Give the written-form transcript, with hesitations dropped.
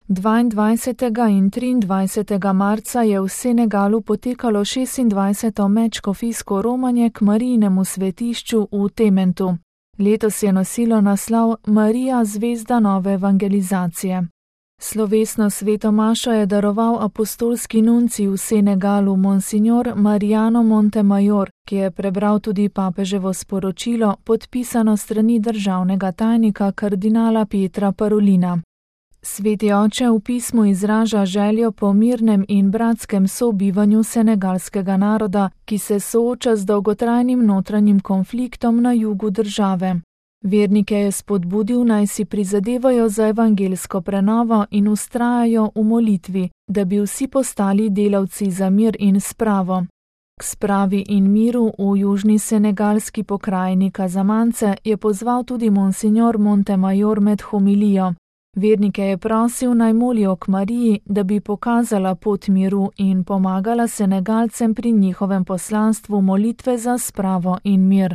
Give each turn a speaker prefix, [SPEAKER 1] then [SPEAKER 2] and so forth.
[SPEAKER 1] 22. in 23. marca je v Senegalu potekalo 26. medškofijsko romanje k Marijinemu svetišču v Tementu. Letos je nosilo naslov Marija, zvezda nove evangelizacije. Slovesno sveto mašo je daroval apostolski nuncij v Senegalu Monsignor Mariano Montemayor, ki je prebral tudi papeževo sporočilo, podpisano strani državnega tajnika kardinala Pietra Parolina. Sveti oče v pismu izraža željo po mirnem in bratskem sobivanju senegalskega naroda, ki se sooča z dolgotrajnim notranjim konfliktom na jugu države. Vernike je spodbudil, naj si prizadevajo za evangelsko prenovo in vztrajajo v molitvi, da bi vsi postali delavci za mir in spravo. K spravi in miru v južni senegalski pokrajini Casamance je pozval tudi Monsignor Montemayor med homilijo. Vernike je prosil, naj molijo k Mariji, da bi pokazala pot miru in pomagala Senegalcem pri njihovem poslanstvu molitve za spravo in mir.